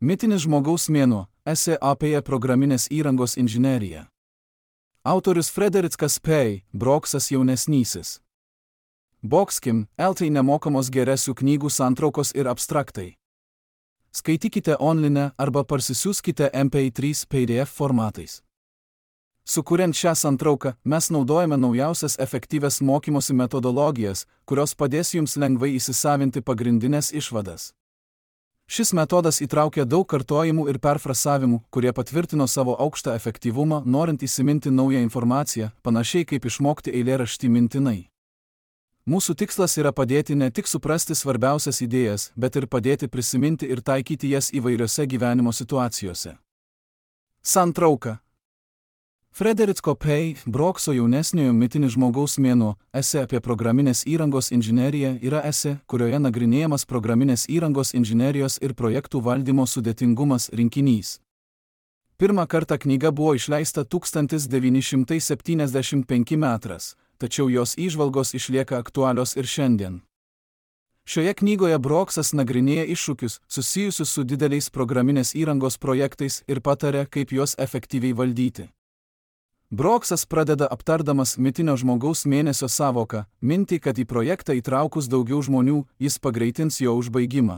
Mitinis žmogaus mėnuo – esė apie programinės įrangos inžineriją. Autorius Frederickas P. Broksas jaunesnysis. Bokskim, LT nemokamos geresių knygų santraukos ir abstraktai. Skaitykite online arba parsisiųskite MP3 PDF formatais. Sukuriant šią santrauką, mes naudojame naujausias efektyvias mokymosi metodologijas, kurios padės jums lengvai įsisavinti pagrindinės išvadas. Šis metodas įtraukia daug kartojimų ir perfrasavimų, kurie patvirtino savo aukštą efektyvumą, norint įsiminti naują informaciją, panašiai kaip išmokti eilėraštį mintinai. Mūsų tikslas yra padėti ne tik suprasti svarbiausias idėjas, bet ir padėti prisiminti ir taikyti jas įvairiose gyvenimo situacijose. Santrauka. Fredericko P. Brokso jaunesniojo Mitinis žmogaus mėnuo – esė apie programinės įrangos inžineriją yra esė, kurioje nagrinėjamas programinės įrangos inžinerijos ir projektų valdymo sudėtingumas rinkinys. Pirmą kartą knyga buvo išleista 1975 metais, tačiau jos įžvalgos išlieka aktualios ir šiandien. Šioje knygoje Broksas nagrinėja iššūkius susijusius su dideliais programinės įrangos projektais ir pataria, kaip juos efektyviai valdyti. Broksas pradeda aptardamas mitinio žmogaus mėnesio sąvoką, mintį, kad į projektą įtraukus daugiau žmonių, jis pagreitins jo užbaigimą.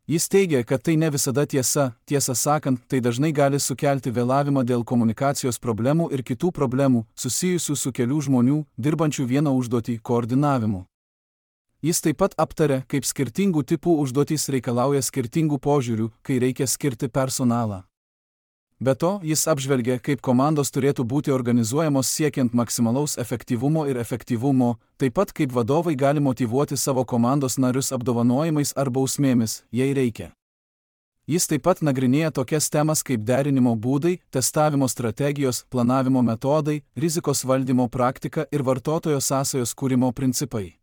Jis teigia, kad tai ne visada tiesa, tiesą sakant, tai dažnai gali sukelti vėlavimą dėl komunikacijos problemų ir kitų problemų, susijusių su kelių žmonių, dirbančių vieną užduotį, koordinavimu. Jis taip pat aptaria, kaip skirtingų tipų užduotys reikalauja skirtingų požiūrių, kai reikia skirti personalą. Be to, jis apžvelgia, kaip komandos turėtų būti organizuojamos siekiant maksimalaus efektyvumo ir efektyvumo, taip pat kaip vadovai gali motyvuoti savo komandos narius apdovanojimais ar bausmėmis, jei reikia. Jis taip pat nagrinėja tokias temas kaip derinimo būdai, testavimo strategijos, planavimo metodai, rizikos valdymo praktika ir vartotojo sąsajos kūrimo principai.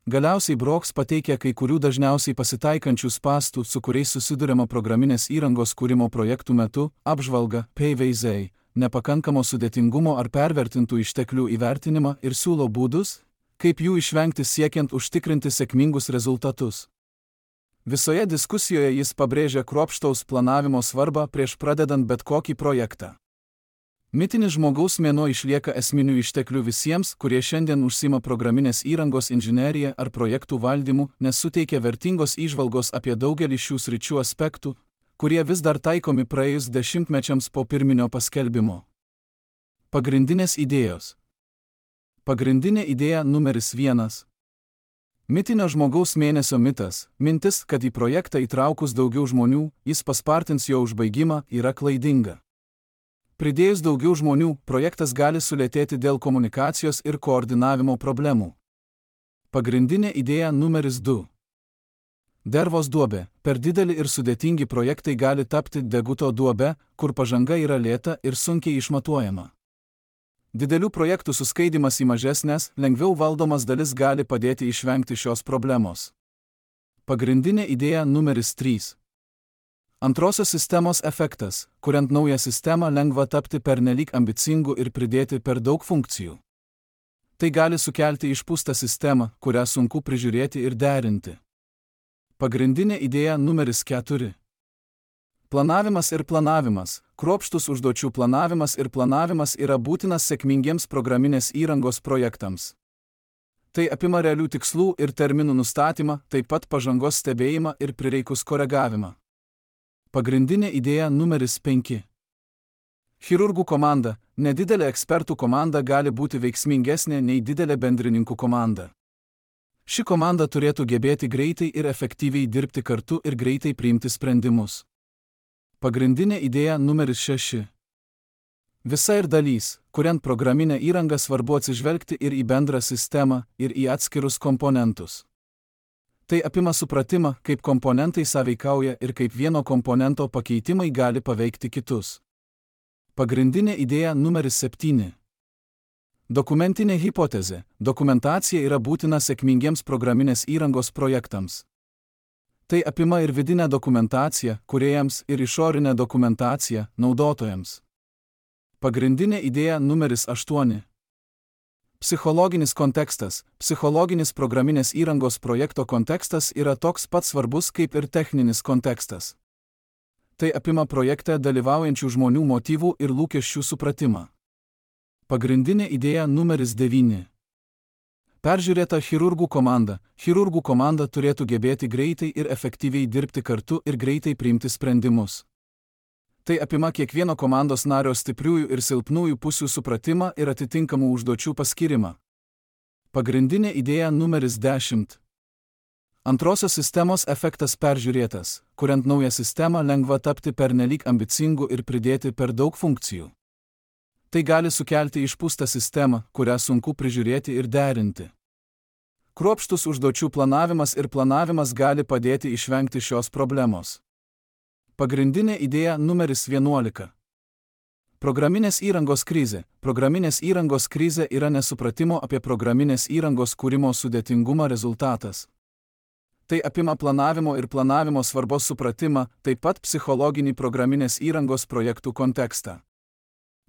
Galiausiai Broks pateikia kai kurių dažniausiai pasitaikančių spąstų, su kuriais susiduriama programinės įrangos kūrimo projektų metu, apžvalga, PVZ, nepakankamo sudėtingumo ar pervertintų išteklių įvertinimą ir siūlo būdus, kaip jų išvengti siekiant užtikrinti sėkmingus rezultatus. Visoje diskusijoje jis pabrėžia kruopštaus planavimo svarbą prieš pradedant bet kokį projektą. Mitinis žmogaus mėnuo išlieka esminių išteklių visiems, kurie šiandien užsima programinės įrangos inžineriją ar projektų valdymu, nes suteikia vertingos įžvalgos apie daugelį šių sričių aspektų, kurie vis dar taikomi praėjus dešimtmečiams po pirminio paskelbimo. Pagrindinės idėjos. Pagrindinė idėja numeris 1. Mitinio žmogaus mėnesio mitas, mintis, kad į projektą įtraukus daugiau žmonių, jis paspartins jo užbaigimą, yra klaidinga. Pridėjus daugiau žmonių, projektas gali sulėtėti dėl komunikacijos ir koordinavimo problemų. Pagrindinė idėja numeris 2. Dervos duobė. Per dideli ir sudėtingi projektai gali tapti deguto duobe, kur pažanga yra lėta ir sunkiai išmatuojama. Didelių projektų suskaidimas į mažesnės, lengviau valdomas dalis gali padėti išvengti šios problemos. Pagrindinė idėja numeris 3. Antrosios sistemos efektas, kuriant naują sistemą lengva tapti pernelyg ambicingų ir pridėti per daug funkcijų. Tai gali sukelti išpūstą sistemą, kurią sunku prižiūrėti ir derinti. Pagrindinė idėja numeris 4. Planavimas ir planavimas. Kruopštus užduočių planavimas ir planavimas yra būtinas sėkmingiems programinės įrangos projektams. Tai apima realių tikslų ir terminų nustatymą, taip pat pažangos stebėjimą ir prireikus koregavimą. Pagrindinė idėja numeris 5. Chirurgų komanda. Nedidelė ekspertų komanda gali būti veiksmingesnė nei didelė bendrininkų komanda. Ši komanda turėtų gebėti greitai ir efektyviai dirbti kartu ir greitai priimti sprendimus. Pagrindinė idėja numeris 6. Visa ir dalys, kuriant programinę įrangą svarbu atsižvelgti ir į bendrą sistemą, ir į atskirus komponentus. Tai apima supratimą, kaip komponentai sąveikauja ir kaip vieno komponento pakeitimai gali paveikti kitus. Pagrindinė idėja numeris 7. Dokumentinė hipotezė. Dokumentacija yra būtina sėkmingiems programinės įrangos projektams. Tai apima ir vidinę dokumentaciją, kūrėjams, ir išorinę dokumentaciją, naudotojams. Pagrindinė idėja numeris 8. Psichologinis kontekstas. Psichologinis programinės įrangos projekto kontekstas yra toks pat svarbus kaip ir techninis kontekstas. Tai apima projekte dalyvaujančių žmonių motyvų ir lūkesčių supratimą. Pagrindinė idėja numeris 9. Peržiūrėta chirurgų komanda. Chirurgų komanda turėtų gebėti greitai ir efektyviai dirbti kartu ir greitai priimti sprendimus. Tai apima kiekvieno komandos nario stipriųjų ir silpnųjų pusių supratimą ir atitinkamų užduočių paskirimą. Pagrindinė idėja numeris 10. Antrosios sistemos efektas peržiūrėtas. Kuriant naują sistemą lengva tapti pernelyg ambicingu ir pridėti per daug funkcijų. Tai gali sukelti išpūstą sistemą, kurią sunku prižiūrėti ir derinti. Kruopštus užduočių planavimas gali padėti išvengti šios problemos. Pagrindinė idėja numeris 11. Programinės įrangos krizė. Programinės įrangos krizė yra nesupratimo apie programinės įrangos kūrimo sudėtingumą rezultatas. Tai apima planavimo svarbos supratimą, taip pat psichologinį programinės įrangos projektų kontekstą.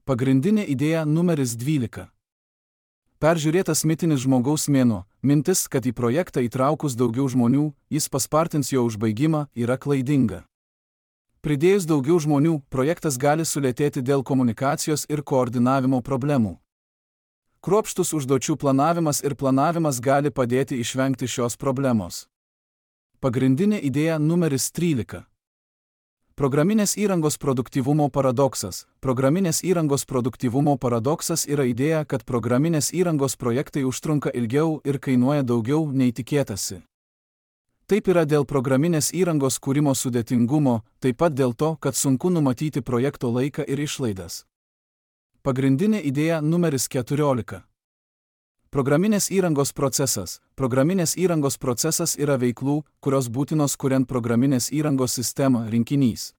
Pagrindinė idėja numeris 12. Peržiūrėtas mitinis žmogaus mėnuo. Mintis, kad į projektą įtraukus daugiau žmonių, jis paspartins jo užbaigimą, yra klaidinga. Pridėjus daugiau žmonių, projektas gali sulėtėti dėl komunikacijos ir koordinavimo problemų. Kruopštus užduočių planavimas gali padėti išvengti šios problemos. Pagrindinė idėja numeris 13. Programinės įrangos produktyvumo paradoksas. Programinės įrangos produktyvumo paradoksas yra idėja, kad programinės įrangos projektai užtrunka ilgiau ir kainuoja daugiau nei tikėtasi. Taip yra dėl programinės įrangos kūrimo sudėtingumo, taip pat dėl to, kad sunku numatyti projekto laiką ir išlaidas. Pagrindinė idėja numeris 14. Programinės įrangos procesas. Programinės įrangos procesas yra veiklų, kurios būtinos kuriant programinės įrangos sistemą rinkinys.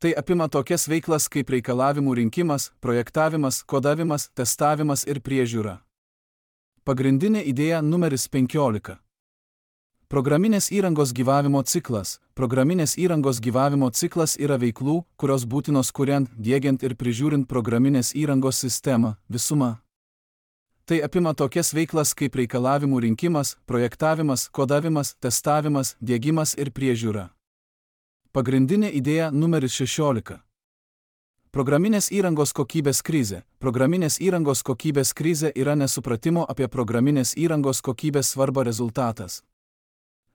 Tai apima tokias veiklas kaip reikalavimų rinkimas, projektavimas, kodavimas, testavimas ir priežiūra. Pagrindinė idėja numeris 15. Programinės įrangos gyvavimo ciklas. Programinės įrangos gyvavimo ciklas yra veiklų, kurios būtinos kuriant, diegiant ir prižiūrint programinės įrangos sistemą, visuma. Tai apima tokias veiklas kaip reikalavimų rinkimas, projektavimas, kodavimas, testavimas, diegimas ir priežiūra. Pagrindinė idėja numeris 16. Programinės įrangos kokybės krizė. Programinės įrangos kokybės krizė yra nesupratimo apie programinės įrangos kokybės svarbą rezultatas.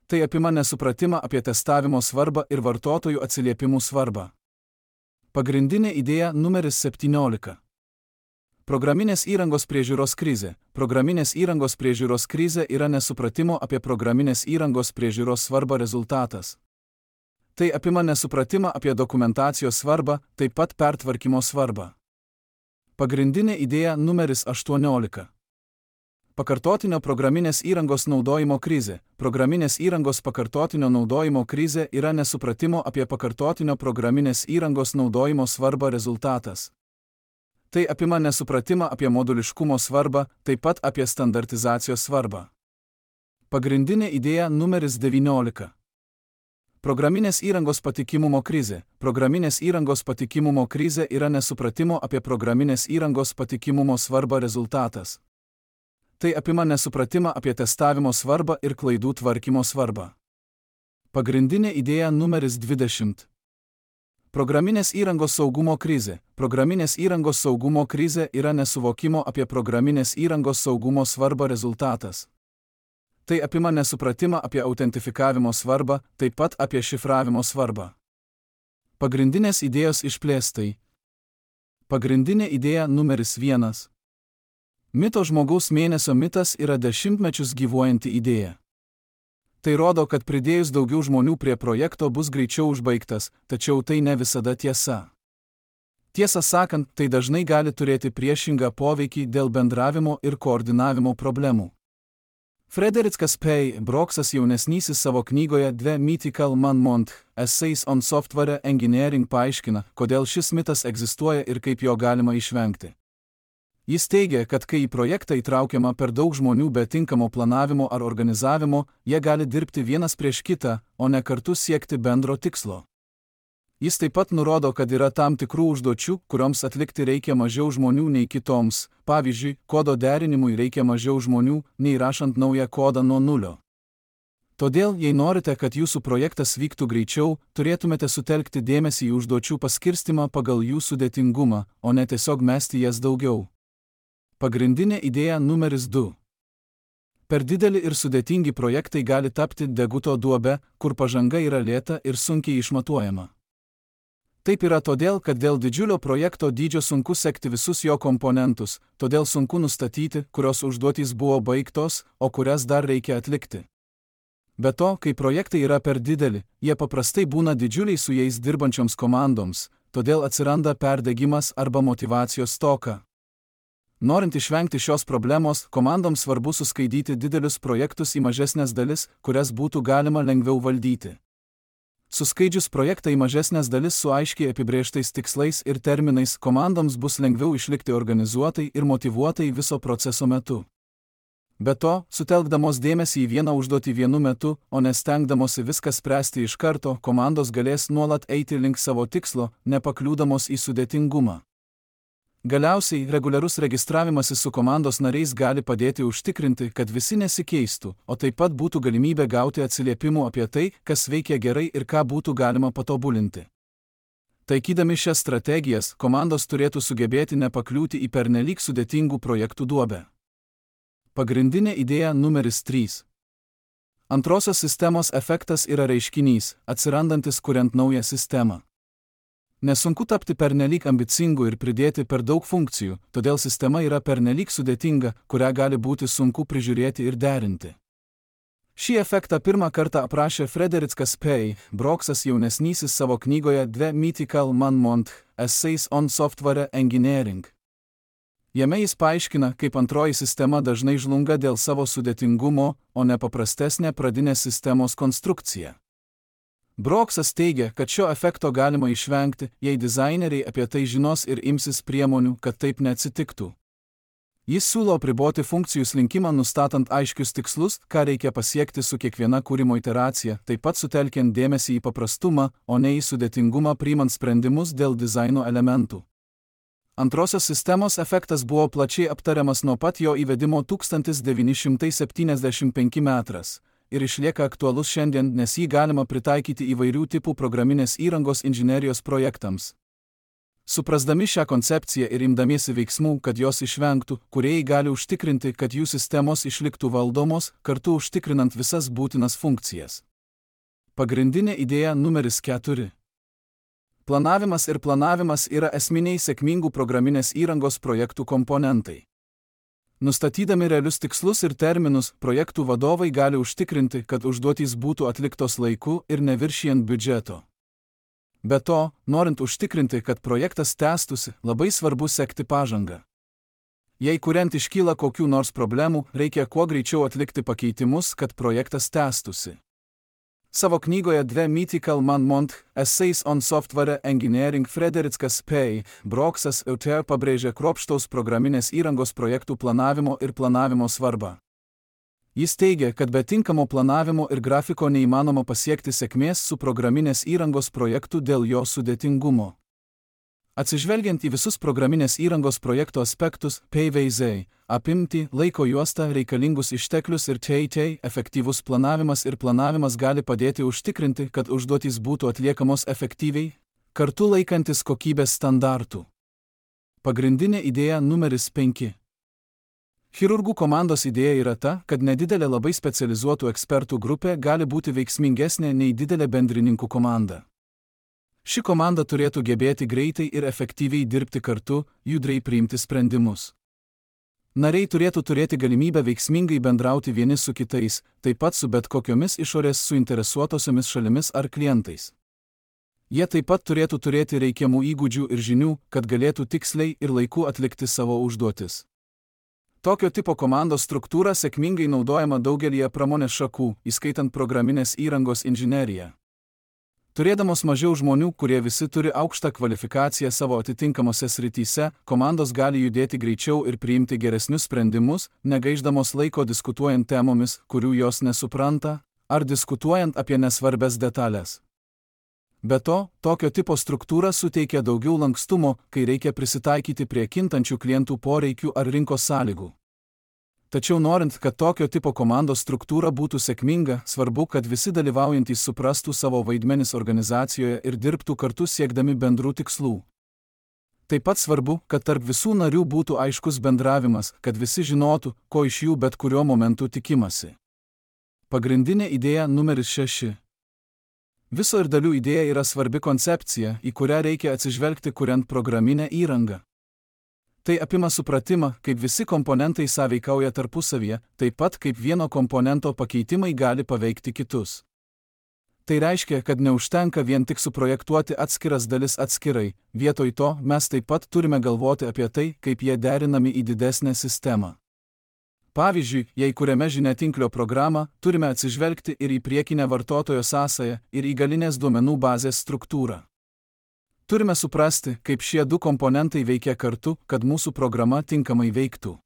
Tai apima nesupratimą apie testavimo svarbą ir vartotojų atsiliepimų svarbą. Pagrindinė idėja numeris 17. Programinės įrangos priežiūros krizė. Programinės įrangos priežiūros krizė yra nesupratimo apie programinės įrangos priežiūros svarbą rezultatas. Tai apima nesupratimą apie dokumentacijos svarbą, taip pat pertvarkymo svarbą. Pagrindinė idėja numeris 18. Pakartotinio programinės įrangos naudojimo krizė. Programinės įrangos pakartotinio naudojimo krizė yra nesupratimo apie pakartotinio programinės įrangos naudojimo svarbą rezultatas. Tai apima nesupratimą apie moduliškumo svarbą, taip pat apie standartizacijos svarbą. Pagrindinė idėja numeris 19. Programinės įrangos patikimumo krizė. Programinės įrangos patikimumo krizė yra nesupratimo apie programinės įrangos patikimumo svarbą rezultatas. Tai apima nesupratimą apie testavimo svarbą ir klaidų tvarkymo svarbą. Pagrindinė idėja numeris 20. Programinės įrangos saugumo krizė. Programinės įrangos saugumo krizė yra nesuvokimo apie programinės įrangos saugumo svarbą rezultatas. Tai apima nesupratimą apie autentifikavimo svarbą, taip pat apie šifravimo svarbą. Pagrindinės idėjos išplėstai. Pagrindinė idėja numeris 1. Mito žmogaus mėnesio mitas yra dešimtmečius gyvuojanti idėja. Tai rodo, kad pridėjus daugiau žmonių prie projekto bus greičiau užbaigtas, tačiau tai ne visada tiesa. Tiesą sakant, tai dažnai gali turėti priešingą poveikį dėl bendravimo ir koordinavimo problemų. Frederickas P. Broksas jaunesnysis savo knygoje The Mythical Man-Month Essays on Software Engineering paaiškina, kodėl šis mitas egzistuoja ir kaip jo galima išvengti. Jis teigia, kad kai į projektą įtraukiama per daug žmonių be tinkamo planavimo ar organizavimo, jie gali dirbti vienas prieš kitą, o ne kartu siekti bendro tikslo. Jis taip pat nurodo, kad yra tam tikrų užduočių, kurioms atlikti reikia mažiau žmonių nei kitoms, pavyzdžiui, kodo derinimui reikia mažiau žmonių, nei rašant naują kodą nuo nulio. Todėl, jei norite, kad jūsų projektas vyktų greičiau, turėtumėte sutelkti dėmesį į užduočių paskirstimą pagal jų sudėtingumą, o ne tiesiog mesti jas daugiau. Pagrindinė idėja numeris 2. Per dideli ir sudėtingi projektai gali tapti deguto duobe, kur pažanga yra lėta ir sunkiai išmatuojama. Taip yra todėl, kad dėl didžiulio projekto dydžio sunku sekti visus jo komponentus, todėl sunku nustatyti, kurios užduotys buvo baigtos, o kurias dar reikia atlikti. Be to, kai projektai yra per dideli, jie paprastai būna didžiuliai su jais dirbančioms komandoms, todėl atsiranda perdegimas arba motyvacijos stoka. Norint išvengti šios problemos, komandoms svarbu suskaidyti didelius projektus į mažesnės dalis, kurias būtų galima lengviau valdyti. Suskaidžius projektą į mažesnės dalis su aiškiai apibrėžtais tikslais ir terminais, komandoms bus lengviau išlikti organizuotai ir motyvuotai viso proceso metu. Be to, sutelkdamos dėmesį į vieną užduotį vienu metu, o nestengdamosi viską spręsti iš karto, komandos galės nuolat eiti link savo tikslo, nepakliūdamos į sudėtingumą. Galiausiai, reguliarus registravimasis su komandos nariais gali padėti užtikrinti, kad visi nesikeistų, o taip pat būtų galimybė gauti atsiliepimų apie tai, kas veikia gerai ir ką būtų galima patobulinti. Taikydami šias strategijas, komandos turėtų sugebėti nepakliūti į pernelyg sudėtingų projektų duobę. Pagrindinė idėja numeris 3. Antrosios sistemos efektas yra reiškinys, atsirandantis kuriant naują sistemą. Nesunku tapti pernelyg ambicingu ir pridėti per daug funkcijų, todėl sistema yra pernelyg sudėtinga, kurią gali būti sunku prižiūrėti ir derinti. Šį efektą pirmą kartą aprašė Frederickas P. Broksas jaunesnysis savo knygoje The Mythical Man-Month Essays on Software Engineering. Jame jis paaiškina, kaip antroji sistema dažnai žlunga dėl savo sudėtingumo, o ne paprastesnė pradinės sistemos konstrukcija. Broksas teigia, kad šio efekto galima išvengti, jei dizaineriai apie tai žinos ir imsis priemonių, kad taip neatsitiktų. Jis siūlo apriboti funkcijų slinkimą nustatant aiškius tikslus, ką reikia pasiekti su kiekviena kūrimo iteracija, taip pat sutelkiant dėmesį į paprastumą, o ne į sudėtingumą priimant sprendimus dėl dizaino elementų. Antrosios sistemos efektas buvo plačiai aptariamas nuo pat jo įvedimo 1975 metras ir išlieka aktualus šiandien, nes jį galima pritaikyti įvairių tipų programinės įrangos inžinerijos projektams. Suprasdami šią koncepciją ir imdamiesi veiksmų, kad jos išvengtų, kūrėjai gali užtikrinti, kad jų sistemos išliktų valdomos, kartu užtikrinant visas būtinas funkcijas. Pagrindinė idėja numeris 4. Planavimas ir planavimas yra esminiai sėkmingų programinės įrangos projektų komponentai. Nustatydami realius tikslus ir terminus, projektų vadovai gali užtikrinti, kad užduotys būtų atliktos laiku ir neviršijant biudžeto. Be to, norint užtikrinti, kad projektas tęstųsi, labai svarbu sekti pažangą. Jei kuriant iškyla kokių nors problemų, reikia kuo greičiau atlikti pakeitimus, kad projektas tęstųsi. Savo knygoje The Mythical Man-Month Essays on Software Engineering Frederickas P. Broksas autor pabrėžia kruopštaus programinės įrangos projektų planavimo ir planavimo svarbą. Jis teigia, kad be tinkamo planavimo ir grafiko neįmanoma pasiekti sėkmės su programinės įrangos projektu dėl jo sudėtingumo. Atsižvelgiant į visus programinės įrangos projekto aspektus, PVZ, apimtį, laiko juostą, reikalingus išteklius ir efektyvus planavimas ir planavimas gali padėti užtikrinti, kad užduotys būtų atliekamos efektyviai, kartu laikantis kokybės standartų. Pagrindinė idėja numeris 5. Chirurgų komandos idėja yra ta, kad nedidelė labai specializuotų ekspertų grupė gali būti veiksmingesnė nei didelė bendrininkų komanda. Ši komanda turėtų gebėti greitai ir efektyviai dirbti kartu, judriai priimti sprendimus. Nariai turėtų turėti galimybę veiksmingai bendrauti vieni su kitais, taip pat su bet kokiomis išorės suinteresuotosiomis šalimis ar klientais. Jie taip pat turėtų turėti reikiamų įgūdžių ir žinių, kad galėtų tiksliai ir laiku atlikti savo užduotis. Tokio tipo komandos struktūra sėkmingai naudojama daugelyje pramonės šakų, įskaitant programinės įrangos inžineriją. Turėdamos mažiau žmonių, kurie visi turi aukštą kvalifikaciją savo atitinkamose srityse, komandos gali judėti greičiau ir priimti geresnius sprendimus, negaišdamos laiko diskutuojant temomis, kurių jos nesupranta, ar diskutuojant apie nesvarbes detalės. Be to, tokio tipo struktūra suteikia daugiau lankstumo, kai reikia prisitaikyti prie kintančių klientų poreikių ar rinkos sąlygų. Tačiau norint, kad tokio tipo komandos struktūra būtų sėkminga, svarbu, kad visi dalyvaujantys suprastų savo vaidmenis organizacijoje ir dirbtų kartu siekdami bendrų tikslų. Taip pat svarbu, kad tarp visų narių būtų aiškus bendravimas, kad visi žinotų, ko iš jų bet kuriuo momentu tikimasi. Pagrindinė idėja numeris 6. Viso ir dalių idėja yra svarbi koncepcija, į kurią reikia atsižvelgti kuriant programinę įrangą. Tai apima supratimą, kaip visi komponentai sąveikauja tarpusavyje, taip pat kaip vieno komponento pakeitimai gali paveikti kitus. Tai reiškia, kad neužtenka vien tik suprojektuoti atskiras dalis atskirai, vietoj to mes taip pat turime galvoti apie tai, kaip jie derinami į didesnę sistemą. Pavyzdžiui, jei kuriame žiniatinklio programą, turime atsižvelgti ir į priekinę vartotojo sąsają, ir į galinės duomenų bazės struktūrą. Turime suprasti, kaip šie du komponentai veikia kartu, kad mūsų programa tinkamai veiktų.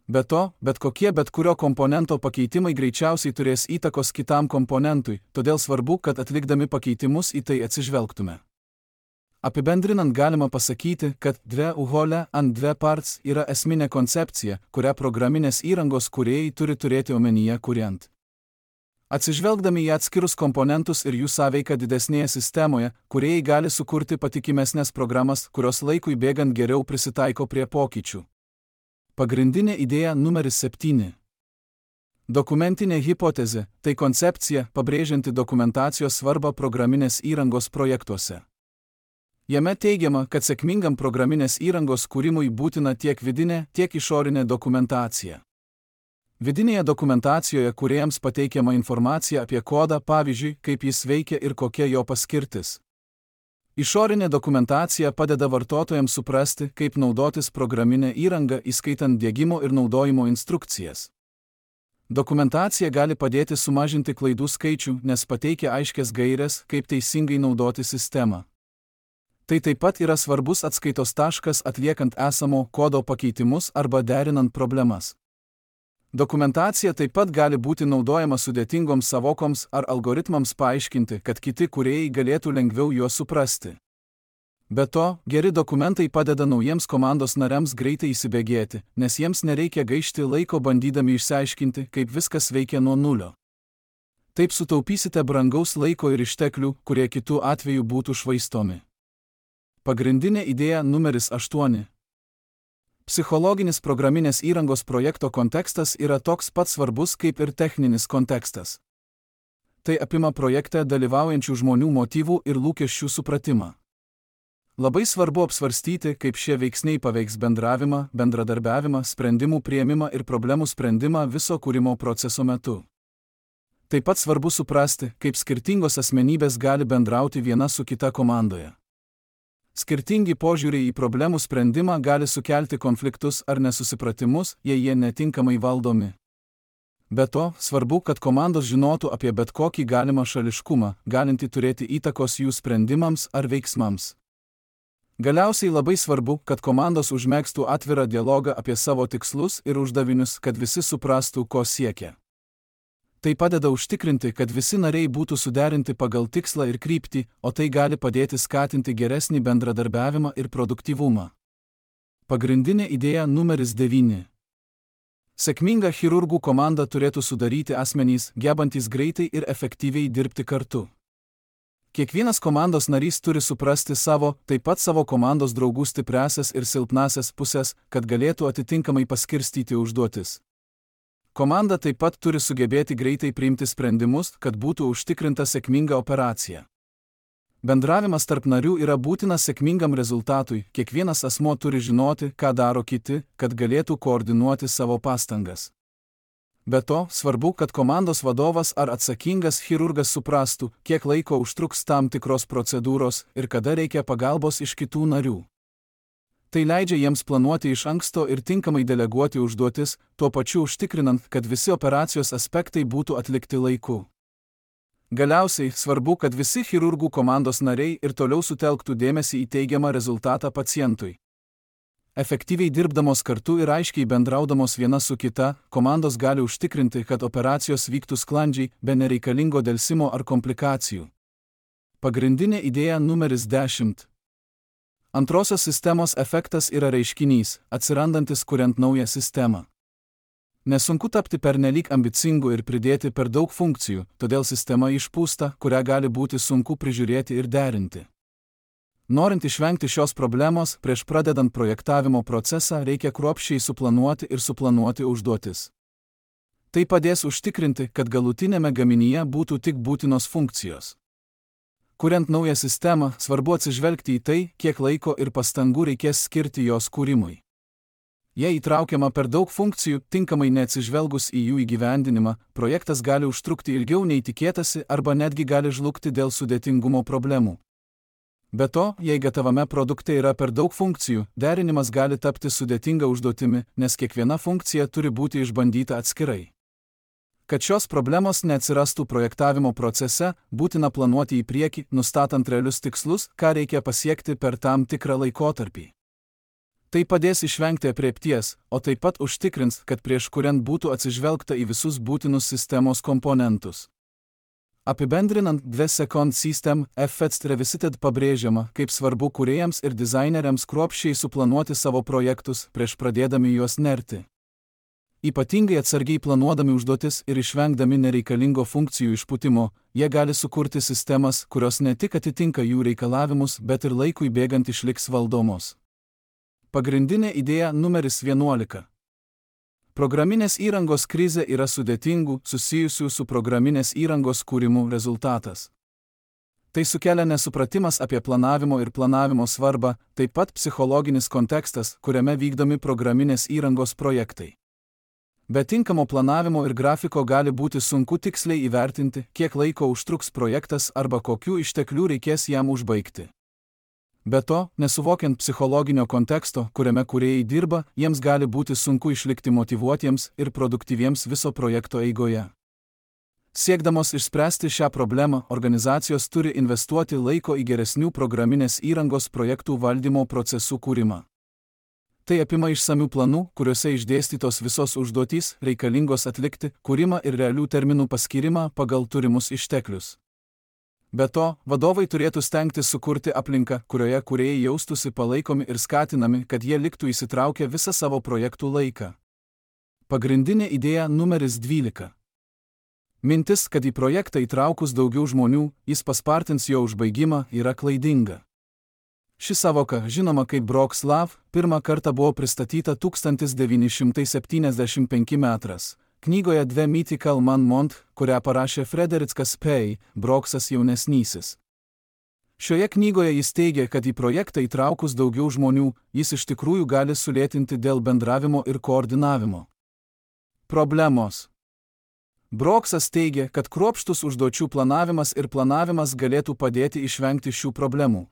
Be to, bet kurio komponento pakeitimai greičiausiai turės įtakos kitam komponentui, todėl svarbu, kad atlikdami pakeitimus į tai atsižvelgtume. Apibendrinant galima pasakyti, kad dve uhole ant dve parts yra esminė koncepcija, kurią programinės įrangos kūrėjai turi turėti omenyje kuriant. Atsižvelgdami į atskirus komponentus ir jų sąveiką didesnėje sistemoje, kūrėjai gali sukurti patikimesnės programas, kurios laikui bėgant geriau prisitaiko prie pokyčių. Pagrindinė idėja numeris 7. Dokumentinė hipotezė – tai koncepcija, pabrėžianti dokumentacijos svarbą programinės įrangos projektuose. Jame teigiama, kad sėkmingam programinės įrangos kūrimui būtina tiek vidinė, tiek išorinė dokumentacija. Vidinėje dokumentacijoje kūrėjams pateikiama informacija apie kodą, pavyzdžiui, kaip jis veikia ir kokia jo paskirtis. Išorinė dokumentacija padeda vartotojams suprasti, kaip naudotis programinę įrangą, įskaitant diegimo ir naudojimo instrukcijas. Dokumentacija gali padėti sumažinti klaidų skaičių, nes pateikia aiškias gaires, kaip teisingai naudoti sistemą. Tai taip pat yra svarbus atskaitos taškas atliekant esamo kodo pakeitimus arba derinant problemas. Dokumentacija taip pat gali būti naudojama sudėtingoms savokoms ar algoritmams paaiškinti, kad kiti kūrėjai galėtų lengviau juos suprasti. Be to, geri dokumentai padeda naujiems komandos nariams greitai įsibėgėti, nes jiems nereikia gaišti laiko bandydami išsiaiškinti, kaip viskas veikia nuo nulio. Taip sutaupysite brangaus laiko ir išteklių, kurie kitų atveju būtų švaistomi. Pagrindinė idėja numeris 8. Psichologinis programinės įrangos projekto kontekstas yra toks pat svarbus kaip ir techninis kontekstas. Tai apima projekte dalyvaujančių žmonių motyvų ir lūkesčių supratimą. Labai svarbu apsvarstyti, kaip šie veiksniai paveiks bendravimą, bendradarbiavimą, sprendimų priėmimą ir problemų sprendimą viso kūrimo proceso metu. Taip pat svarbu suprasti, kaip skirtingos asmenybės gali bendrauti viena su kita komandoje. Skirtingi požiūriai į problemų sprendimą gali sukelti konfliktus ar nesusipratimus, jei jie netinkamai valdomi. Be to, svarbu, kad komandos žinotų apie bet kokį galimą šališkumą, galintį turėti įtakos jų sprendimams ar veiksmams. Galiausiai labai svarbu, kad komandos užmegztų atvirą dialogą apie savo tikslus ir uždavinius, kad visi suprastų, ko siekia. Tai padeda užtikrinti, kad visi nariai būtų suderinti pagal tikslą ir kryptį, o tai gali padėti skatinti geresnį bendradarbiavimą ir produktyvumą. Pagrindinė idėja numeris 9. Sėkmingą chirurgų komandą turėtų sudaryti asmenys, gebantys greitai ir efektyviai dirbti kartu. Kiekvienas komandos narys turi suprasti taip pat savo komandos draugų stipriąsias ir silpnąsias pusės, kad galėtų atitinkamai paskirstyti užduotis. Komanda taip pat turi sugebėti greitai priimti sprendimus, kad būtų užtikrinta sėkminga operacija. Bendravimas tarp narių yra būtinas sėkmingam rezultatui, kiekvienas asmuo turi žinoti, ką daro kiti, kad galėtų koordinuoti savo pastangas. Be to, svarbu, kad komandos vadovas ar atsakingas chirurgas suprastų, kiek laiko užtruks tam tikros procedūros ir kada reikia pagalbos iš kitų narių. Tai leidžia jiems planuoti iš anksto ir tinkamai deleguoti užduotis, tuo pačiu užtikrinant, kad visi operacijos aspektai būtų atlikti laiku. Galiausiai, svarbu, kad visi chirurgų komandos nariai ir toliau sutelktų dėmesį į teigiamą rezultatą pacientui. Efektyviai dirbdamos kartu ir aiškiai bendraudamos viena su kita, komandos gali užtikrinti, kad operacijos vyktų sklandžiai, be nereikalingo delsimo ar komplikacijų. Pagrindinė idėja numeris 10. Antrosios sistemos efektas yra reiškinys, atsirandantis kuriant naują sistemą. Nesunku tapti pernelyg ambicingu ir pridėti per daug funkcijų, todėl sistema išpūsta, kurią gali būti sunku prižiūrėti ir derinti. Norint išvengti šios problemos, prieš pradedant projektavimo procesą reikia kruopščiai suplanuoti užduotis. Tai padės užtikrinti, kad galutinėme gaminyje būtų tik būtinos funkcijos. Kuriant naują sistemą, svarbu atsižvelgti į tai, kiek laiko ir pastangų reikės skirti jos kūrimui. Jei įtraukiama per daug funkcijų, tinkamai neatsižvelgus į jų įgyvendinimą, projektas gali užtrukti ilgiau nei tikėtasi arba netgi gali žlugti dėl sudėtingumo problemų. Be to, jei gatavame produkte yra per daug funkcijų, derinimas gali tapti sudėtinga užduotimi, nes kiekviena funkcija turi būti išbandyta atskirai. Kad šios problemos neatsirastų projektavimo procese, būtina planuoti į priekį, nustatant realius tikslus, ką reikia pasiekti per tam tikrą laikotarpį. Tai padės išvengti aprėpties, o taip pat užtikrins, kad prieš kuriant būtų atsižvelgta į visus būtinus sistemos komponentus. Apibendrinant, 2-Second System Effects Revisited pabrėžiama, kaip svarbu kūrėjams ir dizaineriams kruopščiai suplanuoti savo projektus prieš pradėdami juos nerti. Ypatingai atsargiai planuodami užduotis ir išvengdami nereikalingo funkcijų išpūtimo, jie gali sukurti sistemas, kurios ne tik atitinka jų reikalavimus, bet ir laikui bėgant išliks valdomos. Pagrindinė idėja numeris 11. Programinės įrangos krizė yra sudėtingų, susijusių su programinės įrangos kūrimu rezultatas. Tai sukelia nesupratimas apie planavimo ir planavimo svarbą, taip pat psichologinis kontekstas, kuriame vykdomi programinės įrangos projektai. Be tinkamo planavimo ir grafiko gali būti sunku tiksliai įvertinti, kiek laiko užtruks projektas arba kokių išteklių reikės jam užbaigti. Be to, nesuvokiant psichologinio konteksto, kuriame kūrėjai dirba, jiems gali būti sunku išlikti motyvuotiems ir produktyviems viso projekto eigoje. Siekdamos išspręsti šią problemą, organizacijos turi investuoti laiko į geresnių programinės įrangos projektų valdymo procesų kūrimą. Tai apima išsamių planų, kuriuose išdėstytos visos užduotys, reikalingos atlikti, kūrimą ir realių terminų paskyrimą pagal turimus išteklius. Be to, vadovai turėtų stengtis sukurti aplinką, kurioje kūrėjai jaustųsi palaikomi ir skatinami, kad jie liktų įsitraukę visą savo projektų laiką. Pagrindinė idėja numeris 12. Mintis, kad į projektą įtraukus daugiau žmonių, jis paspartins jo užbaigimą, yra klaidinga. Ši savoka, žinoma kaip Brock's Law, pirmą kartą buvo pristatyta 1975 metras. Knygoje Dve Mythical Man Month, kurią parašė Frederickas Pei, Brocksas jaunesnysis. Šioje knygoje jis teigia, kad į projektą įtraukus daugiau žmonių, jis iš tikrųjų gali sulėtinti dėl bendravimo ir koordinavimo. Problemos. Brocksas teigia, kad kruopštus užduočių planavimas ir planavimas galėtų padėti išvengti šių problemų.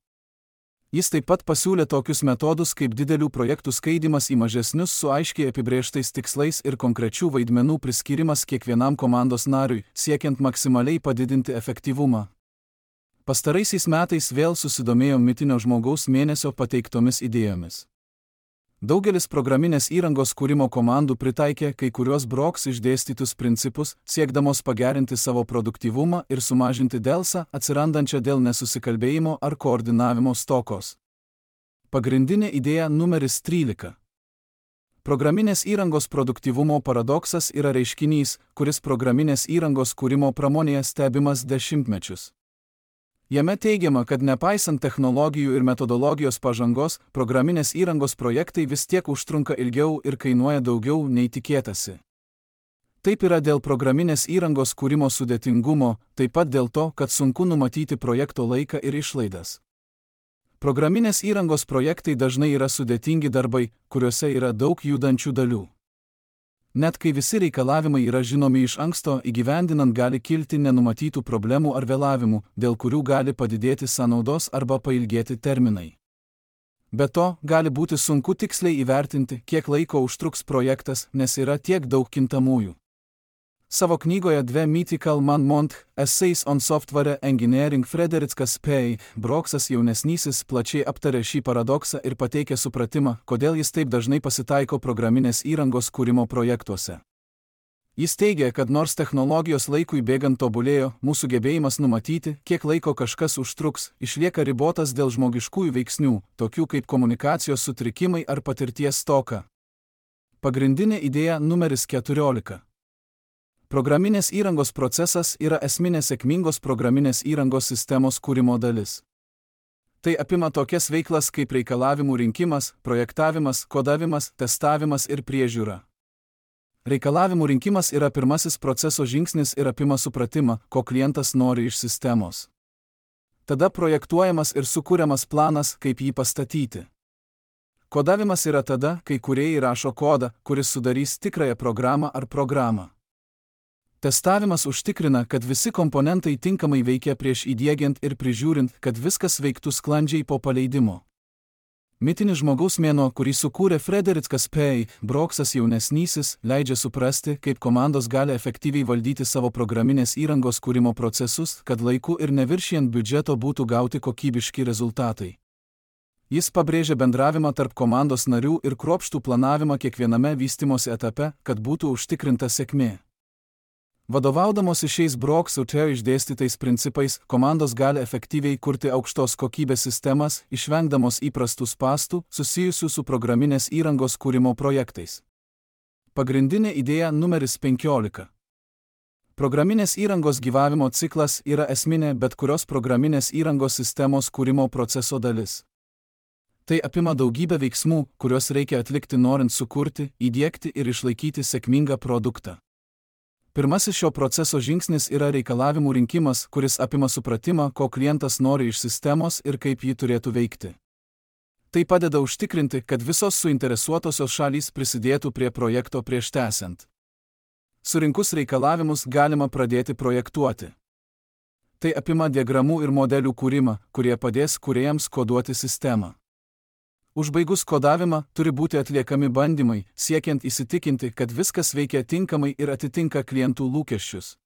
Jis taip pat pasiūlė tokius metodus kaip didelių projektų skaidymas į mažesnius su aiškiai apibrėžtais tikslais ir konkrečių vaidmenų priskyrimas kiekvienam komandos nariui, siekiant maksimaliai padidinti efektyvumą. Pastaraisiais metais vėl susidomėjo mitinio žmogaus mėnesio pateiktomis idėjomis. Daugelis programinės įrangos kūrimo komandų pritaikė kai kuriuos Brocks išdėstytus principus, siekdamos pagerinti savo produktyvumą ir sumažinti delsą, atsirandančią dėl nesusikalbėjimo ar koordinavimo stokos. Pagrindinė idėja numeris 13. Programinės įrangos produktyvumo paradoksas yra reiškinys, kuris programinės įrangos kūrimo pramonėje stebimas dešimtmečius. Jame teigiama, kad nepaisant technologijų ir metodologijos pažangos, programinės įrangos projektai vis tiek užtrunka ilgiau ir kainuoja daugiau nei tikėtasi. Taip yra dėl programinės įrangos kūrimo sudėtingumo, taip pat dėl to, kad sunku numatyti projekto laiką ir išlaidas. Programinės įrangos projektai dažnai yra sudėtingi darbai, kuriuose yra daug judančių dalių. Net kai visi reikalavimai yra žinomi iš anksto, įgyvendinant gali kilti nenumatytų problemų ar vėlavimų, dėl kurių gali padidėti sąnaudos arba pailgėti terminai. Be to, gali būti sunku tiksliai įvertinti, kiek laiko užtruks projektas, nes yra tiek daug kintamųjų. Savo knygoje Dve Mythical Man Month Essays on Software Engineering Frederickas Pei, Brocksas jaunesnysis plačiai aptarė šį paradoksą ir pateikė supratimą, kodėl jis taip dažnai pasitaiko programinės įrangos kūrimo projektuose. Jis teigia, kad nors technologijos laikui bėgant tobulėjo, mūsų gebėjimas numatyti, kiek laiko kažkas užtruks, išlieka ribotas dėl žmogiškųjų veiksnių, tokių kaip komunikacijos sutrikimai ar patirties stoka. Pagrindinė idėja numeris 14. Programinės įrangos procesas yra esminė sėkmingos programinės įrangos sistemos kūrimo dalis. Tai apima tokias veiklas kaip reikalavimų rinkimas, projektavimas, kodavimas, testavimas ir priežiūra. Reikalavimų rinkimas yra pirmasis proceso žingsnis ir apima supratimą, ko klientas nori iš sistemos. Tada projektuojamas ir sukūriamas planas, kaip jį pastatyti. Kodavimas yra tada, kai kūrėjai rašo kodą, kuris sudarys tikrąją programą ar programą. Testavimas užtikrina, kad visi komponentai tinkamai veikia prieš įdiegiant ir prižiūrint, kad viskas veiktų sklandžiai po paleidimo. Mitinis žmogaus mėnuo, kurį sukūrė Frederikas P. Broksas jaunesnysis, leidžia suprasti, kaip komandos gali efektyviai valdyti savo programinės įrangos kūrimo procesus, kad laiku ir neviršijant biudžeto būtų gauti kokybiški rezultatai. Jis pabrėžia bendravimą tarp komandos narių ir kruopštų planavimą kiekviename vystymosi etape, kad būtų užtikrinta sėkmė. Vadovaudamosi šiais Brokso išdėstytais principais, komandos gali efektyviai kurti aukštos kokybės sistemas, išvengdamos įprastų spąstų, susijusių su programinės įrangos kūrimo projektais. Pagrindinė idėja numeris 15. Programinės įrangos gyvavimo ciklas yra esminė bet kurios programinės įrangos sistemos kūrimo proceso dalis. Tai apima daugybę veiksmų, kuriuos reikia atlikti norint sukurti, įdiegti ir išlaikyti sėkmingą produktą. Pirmasis šio proceso žingsnis yra reikalavimų rinkimas, kuris apima supratimą, ko klientas nori iš sistemos ir kaip ji turėtų veikti. Tai padeda užtikrinti, kad visos suinteresuotosios šalys prisidėtų prie projekto prieš tęsiant. Surinkus reikalavimus galima pradėti projektuoti. Tai apima diagramų ir modelių kūrimą, kurie padės kūrėjams koduoti sistemą. Užbaigus kodavimą, turi būti atliekami bandymai, siekiant įsitikinti, kad viskas veikia tinkamai ir atitinka klientų lūkesčius.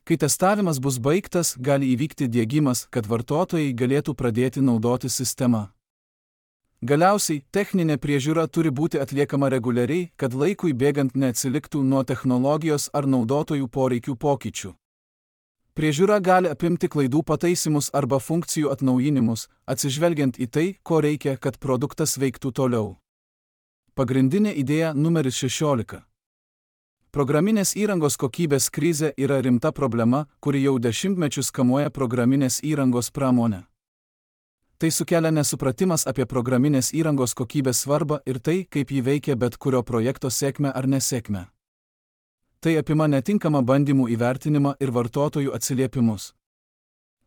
Kai testavimas bus baigtas, gali įvykti diegimas, kad vartotojai galėtų pradėti naudoti sistemą. Galiausiai, techninė priežiūra turi būti atliekama reguliariai, kad laikui bėgant neatsiliktų nuo technologijos ar naudotojų poreikių pokyčių. Priežiūra gali apimti klaidų pataisymus arba funkcijų atnaujinimus, atsižvelgiant į tai, ko reikia, kad produktas veiktų toliau. Pagrindinė idėja numeris 16. Programinės įrangos kokybės krizė yra rimta problema, kuri jau dešimtmečius kamuoja programinės įrangos pramonę. Tai sukelia nesupratimas apie programinės įrangos kokybės svarbą ir tai, kaip ji veikia bet kurio projekto sėkmę ar nesėkmę. Tai apima netinkamą bandymų įvertinimą ir vartotojų atsiliepimus.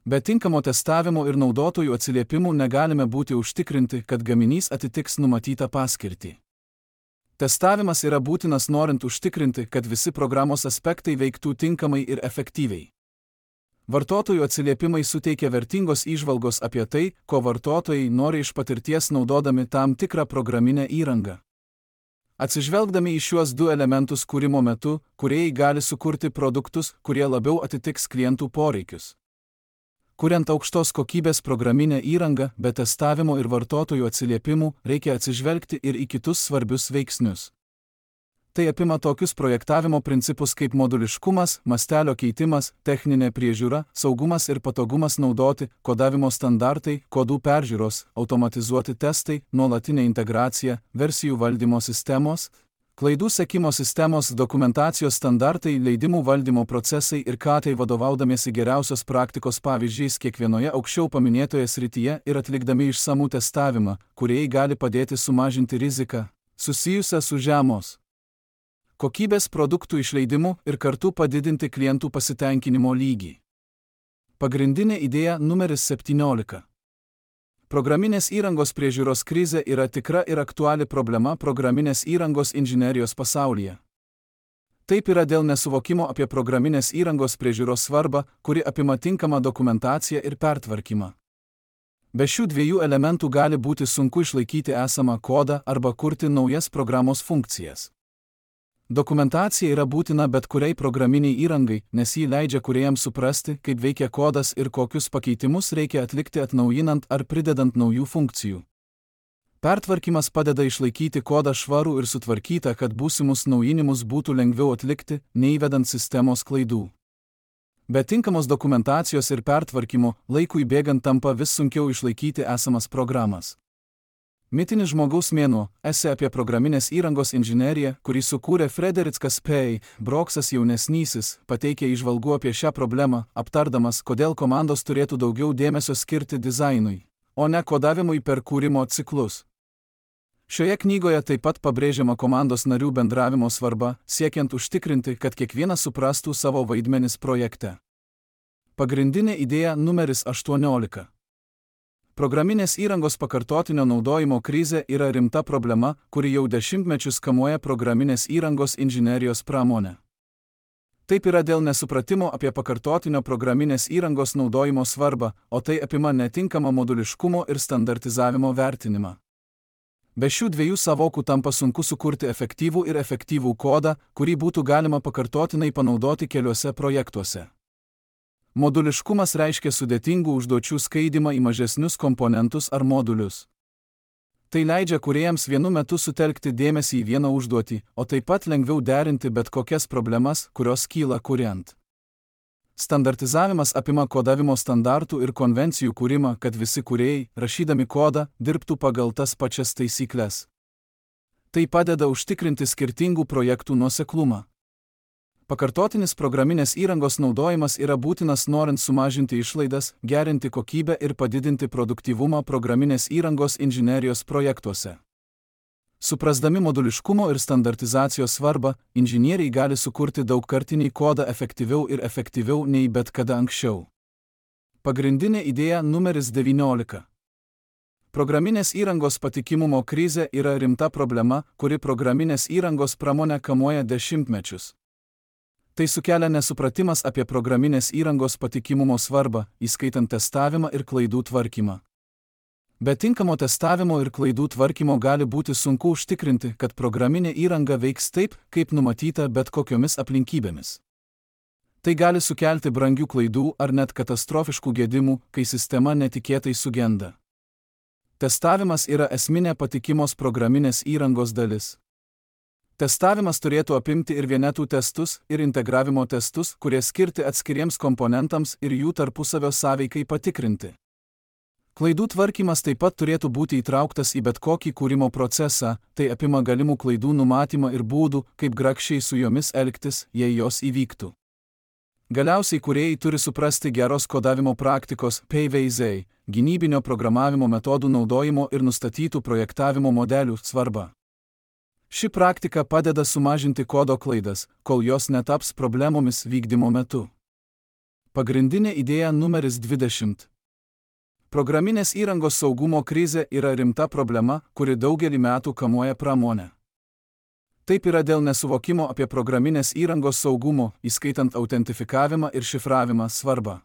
Be tinkamo testavimo ir naudotojų atsiliepimų negalime būti užtikrinti, kad gaminys atitiks numatytą paskirtį. Testavimas yra būtinas norint užtikrinti, kad visi programos aspektai veiktų tinkamai ir efektyviai. Vartotojų atsiliepimai suteikia vertingos įžvalgos apie tai, ko vartotojai nori iš patirties naudodami tam tikrą programinę įrangą. Atsižvelgdami į šiuos du elementus kūrimo metu, kūrėjai gali sukurti produktus, kurie labiau atitiks klientų poreikius. Kuriant aukštos kokybės programinę įrangą, be testavimo ir vartotojų atsiliepimų, reikia atsižvelgti ir į kitus svarbius veiksnius. Tai apima tokius projektavimo principus kaip moduliškumas, mastelio keitimas, techninė priežiūra, saugumas ir patogumas naudoti, kodavimo standartai, kodų peržiūros, automatizuoti testai, nuolatinė integracija, versijų valdymo sistemos, klaidų sekimo sistemos, dokumentacijos standartai, leidimų valdymo procesai ir tai vadovaudamiesi geriausios praktikos pavyzdžiais kiekvienoje aukščiau paminėtoje srityje ir atlikdami išsamų testavimą, kurie gali padėti sumažinti riziką, susijusią su žemos kokybės produktų išleidimu ir kartu padidinti klientų pasitenkinimo lygį. Pagrindinė idėja numeris 17. Programinės įrangos priežiūros krizė yra tikra ir aktuali problema programinės įrangos inžinerijos pasaulyje. Taip yra dėl nesuvokimo apie programinės įrangos priežiūros svarbą, kuri apima tinkamą dokumentaciją ir pertvarkymą. Be šių dviejų elementų gali būti sunku išlaikyti esamą kodą arba kurti naujas programos funkcijas. Dokumentacija yra būtina bet kuriai programiniai įrangai, nes ji leidžia kūrėjams suprasti, kaip veikia kodas ir kokius pakeitimus reikia atlikti atnaujinant ar pridedant naujų funkcijų. Pertvarkymas padeda išlaikyti kodą švarų ir sutvarkytą, kad būsimus naujinimus būtų lengviau atlikti, neįvedant sistemos klaidų. Be tinkamos dokumentacijos ir pertvarkymo, laikui bėgant tampa vis sunkiau išlaikyti esamas programas. Mitinis žmogaus mėnuo – esė apie programinės įrangos inžineriją, kurį sukūrė Frederickas P. Broksas jaunesnysis, pateikė įžvalgų apie šią problemą, aptardamas, kodėl komandos turėtų daugiau dėmesio skirti dizainui, o ne kodavimui per kūrimo ciklus. Šioje knygoje taip pat pabrėžiama komandos narių bendravimo svarba, siekiant užtikrinti, kad kiekvienas suprastų savo vaidmenis projekte. Pagrindinė idėja numeris 18. Programinės įrangos pakartotinio naudojimo krizė yra rimta problema, kuri jau dešimtmečius kamuoja programinės įrangos inžinerijos pramonę. Taip yra dėl nesupratimo apie pakartotinio programinės įrangos naudojimo svarbą, o tai apima netinkamą moduliškumo ir standartizavimo vertinimą. Be šių dviejų sąvokų tampa sunku sukurti efektyvų kodą, kurį būtų galima pakartotinai panaudoti keliuose projektuose. Moduliškumas reiškia sudėtingų užduočių skaidymą į mažesnius komponentus ar modulius. Tai leidžia kūrėjams vienu metu sutelkti dėmesį į vieną užduotį, o taip pat lengviau derinti bet kokias problemas, kurios kyla kuriant. Standartizavimas apima kodavimo standartų ir konvencijų kūrimą, kad visi kūrėjai, rašydami kodą, dirbtų pagal tas pačias taisykles. Tai padeda užtikrinti skirtingų projektų nuoseklumą. Pakartotinis programinės įrangos naudojimas yra būtinas norint sumažinti išlaidas, gerinti kokybę ir padidinti produktyvumą programinės įrangos inžinerijos projektuose. Suprasdami moduliškumo ir standartizacijos svarbą, inžinieriai gali sukurti daugkartinį kodą efektyviau nei bet kada anksčiau. Pagrindinė idėja numeris 19. Programinės įrangos patikimumo krizė yra rimta problema, kuri programinės įrangos pramonę kamuoja dešimtmečius. Tai sukelia nesupratimas apie programinės įrangos patikimumo svarbą, įskaitant testavimą ir klaidų tvarkymą. Be tinkamo testavimo ir klaidų tvarkymo gali būti sunku užtikrinti, kad programinė įranga veiks taip, kaip numatyta bet kokiomis aplinkybėmis. Tai gali sukelti brangių klaidų ar net katastrofiškų gedimų, kai sistema netikėtai sugenda. Testavimas yra esminė patikimos programinės įrangos dalis. Testavimas turėtų apimti ir vienetų testus, ir integravimo testus, kurie skirti atskiriems komponentams ir jų tarpusavio sąveikai patikrinti. Klaidų tvarkymas taip pat turėtų būti įtrauktas į bet kokį kūrimo procesą, tai apima galimų klaidų numatymą ir būdų, kaip grakščiai su jomis elgtis, jei jos įvyktų. Galiausiai kūrėjai turi suprasti geros kodavimo praktikos PVZ, gynybinio programavimo metodų naudojimo ir nustatytų projektavimo modelių svarbą. Ši praktika padeda sumažinti kodo klaidas, kol jos netaps problemomis vykdymo metu. Pagrindinė idėja numeris 20. Programinės įrangos saugumo krizė yra rimta problema, kuri daugelį metų kamuoja pramonę. Taip yra dėl nesuvokimo apie programinės įrangos saugumo, įskaitant autentifikavimą ir šifravimą svarbą.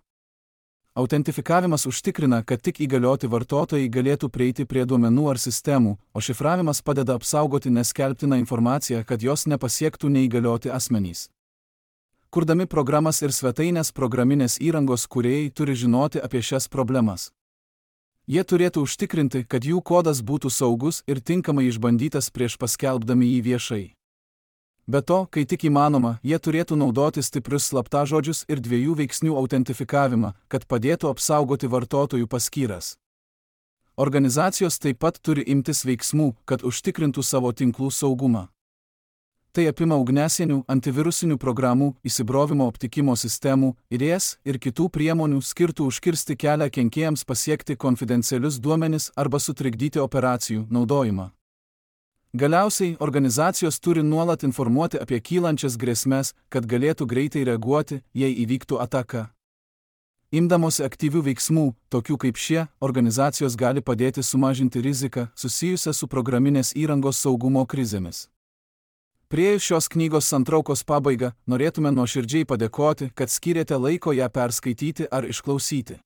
Autentifikavimas užtikrina, kad tik įgalioti vartotojai galėtų prieiti prie duomenų ar sistemų, o šifravimas padeda apsaugoti neskelbtiną informaciją, kad jos nepasiektų neįgalioti asmenys. Kurdami programas ir svetainės programinės įrangos kūrėjai turi žinoti apie šias problemas. Jie turėtų užtikrinti, kad jų kodas būtų saugus ir tinkamai išbandytas prieš paskelbdami jį viešai. Be to, kai tik įmanoma, jie turėtų naudoti stiprius slaptažodžius ir dviejų veiksnių autentifikavimą, kad padėtų apsaugoti vartotojų paskyras. Organizacijos taip pat turi imtis veiksmų, kad užtikrintų savo tinklų saugumą. Tai apima ugniasienių, antivirusinių programų, įsibrovimo aptikimo sistemų, IDS ir kitų priemonių skirtų užkirsti kelią kenkėjams pasiekti konfidencialius duomenis arba sutrikdyti operacijų naudojimą. Galiausiai, organizacijos turi nuolat informuoti apie kylančias grėsmes, kad galėtų greitai reaguoti, jei įvyktų ataka. Imdamosi aktyvių veiksmų, tokių kaip šie, organizacijos gali padėti sumažinti riziką susijusią su programinės įrangos saugumo krizėmis. Priėjus šios knygos santraukos pabaigą, norėtume nuoširdžiai padėkoti, kad skyrėte laiko ją perskaityti ar išklausyti.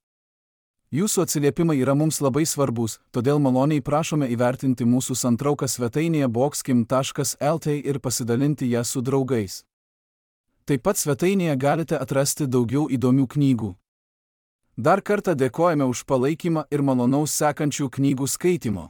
Jūsų atsiliepimai yra mums labai svarbus, todėl maloniai prašome įvertinti mūsų santrauką svetainėje boxkim.lt ir pasidalinti ją su draugais. Taip pat svetainėje galite atrasti daugiau įdomių knygų. Dar kartą dėkojame už palaikymą ir malonaus sekančių knygų skaitimo.